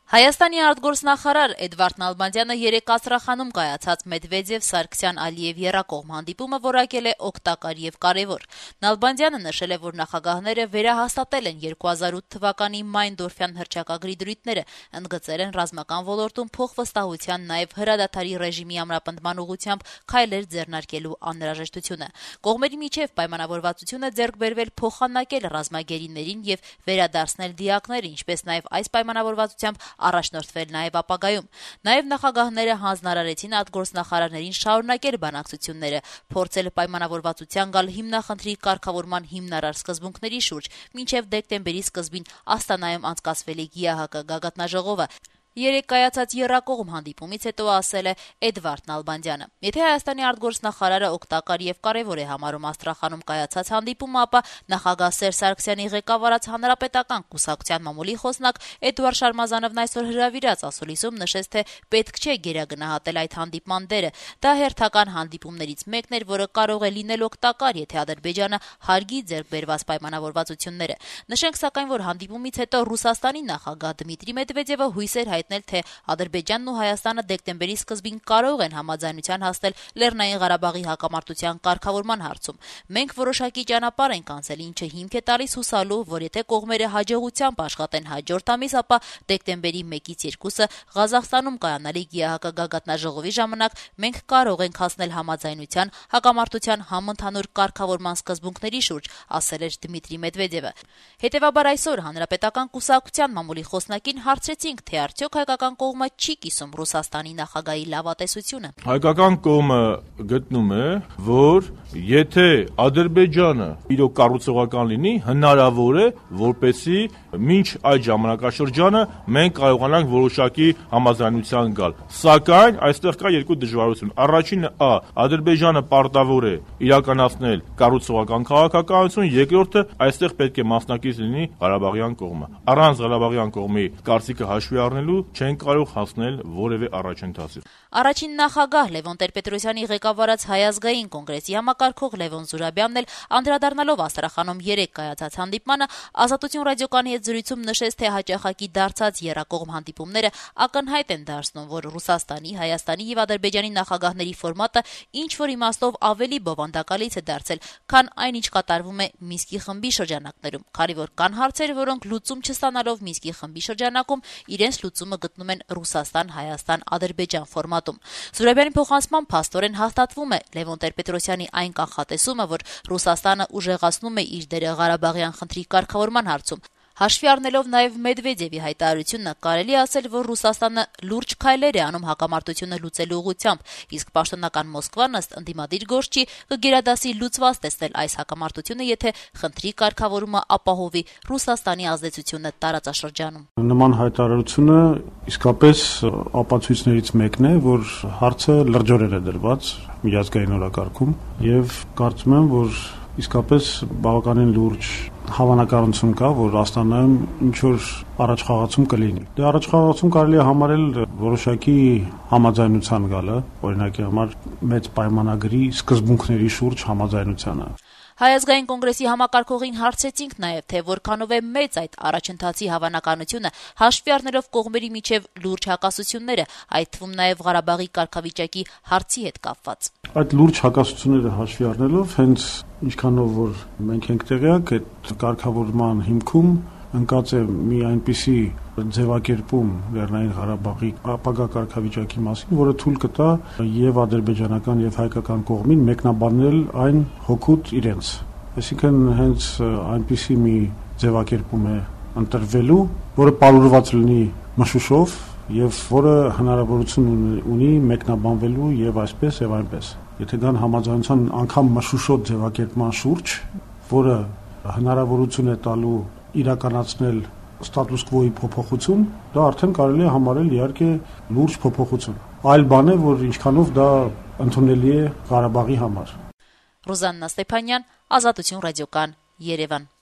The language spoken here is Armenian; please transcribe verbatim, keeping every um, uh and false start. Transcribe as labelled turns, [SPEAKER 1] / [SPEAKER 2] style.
[SPEAKER 1] Հայաստանի արտգործնախարար Էդվարդ Նալբանդյանը երեկ Աստրախանում կայացած Մեդվեդեւ-Սարգսյան-Ալիեւ եռակողմ հանդիպումը որակել է օգտակար եւ կարեւոր։ Նալբանդյանը նշել է, որ նախագահները վերահաստատել են երկու հազար ութ թվականի Մայն-Դորֆյան հռչակագրի դրույթները, ընդգծել են ռազմական ոլորտում փոխվստահության, նաեւ հրադադարի ռեժիմի ամրապնդման ուղղությամբ քայլեր ձեռնարկելու անհրաժեշտությունը։ Կողմերի միջև պայմանավորվածություն է ձեռք բերվել փոխանակել ռազմագերիներին եւ վերադարձնել դիակները, ինչպես նաեւ այս պայմանավորվածությամբ առաջնորդվել նաև ապագայում։ Նաև նախագահները հանձնարարեցին արտգործնախարարներին շարունակել բանակցությունները, փորձել պայմանավորվածության գալ հիմնախնդրի կարգավորման հիմնարար սկզբունքների շուրջ, մինչև դեկտեմբերի սկզբին Աստանայում անցկացվելիք ԵԱՀԿ գագաթնաժողովը։ Երեկ կայացած եռակողմ հանդիպումից հետո ասել է Էդվարդ Նալբանդյանը. Եթե Հայաստանի արտգործնախարարը օգտակար եւ կարեւոր է համարում Աստրախանում կայացած հանդիպումը, ապա նախագահ Սերժ Սարգսյանի ղեկավարած Հանրապետական կուսակցության մամուլի խոսնակ Էդուարդ Շարմազանովն այսօր հրավիրած ասուլիսում նշեց, թե պետք չէ գերագնահատել այդ հանդիպման դերը։ Դա հերթական հանդիպումներից մեկն էր, որը կարող է լինել օգտակար, եթե Ադրբեջանը հարգի ձեռք բերված պայմանավորվածությունները։ Նշենք սակայն, որ հանդիպումից հետո Ռուսաստանի նախագահ Դմիտրի Մեդվեդևը հույսեր հայտնել, թե Ադրբեջանն ու Հայաստանը դեկտեմբերի սկզբին կարող են համաձայնության հասնել Լեռնային Ղարաբաղի հակամարտության կարգավորման հարցում։ Մենք որոշակի ճանապարհ ենք անցել, ինչը հիմք է տալիս հուսալու, որ եթե կողմերը հաջողությամբ աշխատեն հաջորդ ամիս, ապա դեկտեմբերի մեկից երկուսը Ղազախստանում կայանալիք ԵԱՀԿ գագաթնաժողովի ժամանակ մենք կարող ենք հասնել համաձայնության հակամարտության համընդհանուր կարգավորման սկզբունքների շուրջ, ասել էր Դմիտրի Մեդվեդևը։ Հետևաբար այսօր Հանրապետական կուսակցության մամուլի խոսնակին հարցրեցինք, թե արդյոք հայկական կողմը չի կիսում Ռուսաստանի նախագահի լավատեսությունը։
[SPEAKER 2] Հայկական կողմը գտնում է, որ եթե Ադրբեջանը իրոք կառուցողական լինի, հնարավոր է, որպեսզի մինչ այդ ժամանակաշրջանը մենք կարողանանք որոշակի համաձայնության գալ։ Սակայն այստեղ կա երկու դժվարություն։ Առաջինը՝ Ա. Ադրբեջանը պարտավոր է իրականացնել կառուցողական քաղաքականություն, երկրորդը՝ այստեղ պետք է մասնակից լինի Ղարաբաղյան կողմը։ Առանց Ղարաբաղյան կողմի կարծիքը հաշվի առնելու չեն կարող հասնել որևէ առաջընթացի։
[SPEAKER 1] Առաջին նախագահ Լևոն Տեր-Պետրոսյանի ղեկավարած Հայ ազգային կոնգրեսի համակարգող Լևոն Զուրաբյանն էլ անդրադառնալով Աստրախանում երեկ կայացած հանդիպմանը Ազատություն ռադիոկայանի հետ զրույցում նշեց, թե հաճախակի դարձած եռակողմ հանդիպումները ակնհայտ են դարձնում, որ Ռուսաստանի, Հայաստանի եւ Ադրբեջանի նախագահների ֆորմատը ինչ որ իմաստով ավելի բովանդակալից է դարձել, քան այն, ինչ կատարվում է Մինսկի խմբի շրջանակներում, քանի որ կան հարցեր, որոնք լուծում չստանալով Մինսկի խմբի շրջանակում իրենց լուծումը գտնում են Ռուսաստան-Հայաստան-Ադրբեջան ֆորմատում։ Զուրաբյանի փոխանցմամբ փաստորեն հաստատվում է Լևոն Տեր-Պետրոսյանի այն կանխատեսումը, որ Ռուսաստանը ուժեղացնում է իր դերը Ղարաբաղյան խնդրի կարգավորման հարցում։ Հաշվի առնելով նաև Մեդվեդևի հայտարարությունը, կարելի ասել, որ Ռուսաստանը լուրջ քայլեր է անում հակամարտությունը լուծելու ուղղությամբ, իսկ պաշտոնական Մոսկվան ըստ ընդդիմադիր գործչի կգերադասի լուծված տեսնել այս հակամարտությունը, եթե խնդրի կարգավորումը ապահովի Ռուսաստանի ազդեցությունը տարածաշրջանում։
[SPEAKER 3] Նման հայտարարությունը իսկապես ապացույցներից մեկն է, որ հարցը լրջորեն է դրված միջազգային օրակարգում եւ կարծում եմ, որ իսկապես բավականին լուրջ հավանականություն կա, որ Աստանայում ինչ-որ առաջխաղացում կլինի։ Դե առաջխաղացում կարելի է համարել որոշակի համաձայնության գալը, օրինակի համար մեծ պայմանագրի սկզբունքների շուրջ համաձայնությանը։
[SPEAKER 1] Հայ ազգային կոնգրեսի համակարգողին հարցրեցինք նաև, թե որքանով է մեծ այդ առաջընթացի հավանականությունը, հաշվի առնելով կողմերի միջև լուրջ հակասությունները, այդ թվում նաև Ղարաբաղի կարգավիճակի հարցի հետ կապված։
[SPEAKER 3] Այդ լուրջ հակասությունները հաշվի առնելով, հենց ինչքանով որ մենք ենք տեղյակ, այդ կարգավորման հիմքում ընկած է մի այնպիսի ձևակերպում Լեռնային Ղարաբաղի ապագա կարգավիճակի մասին, որը թույլ կտա եւ ադրբեջանական եւ հայկական կողմին մեկնաբանել այն հօգուտ իրենց։ Այսինքն հենց այնպիսի մի ձևակերպում է ընտրվելու, որը պարուրված լինի մշուշով եւ որը հնարավորություն ունի մեկնաբանվելու եւ այսպես եւ այնպես։ Եթե կան համաձայնության անգամ մշուշոտ ձևակերպման շուրջ, որը հնարավորություն է տալու իրականացնել ստատուս կվոյի փոփոխություն, դա արդեն կարելի է համարել իհարկե լուրջ փոփոխություն։ Այլ բան է, որ ինչքանով դա ընդունելի է Ղարաբաղի համար։
[SPEAKER 1] Ռուզաննա Ստեփանյան, Ազատություն ռադիոկան, Երևան։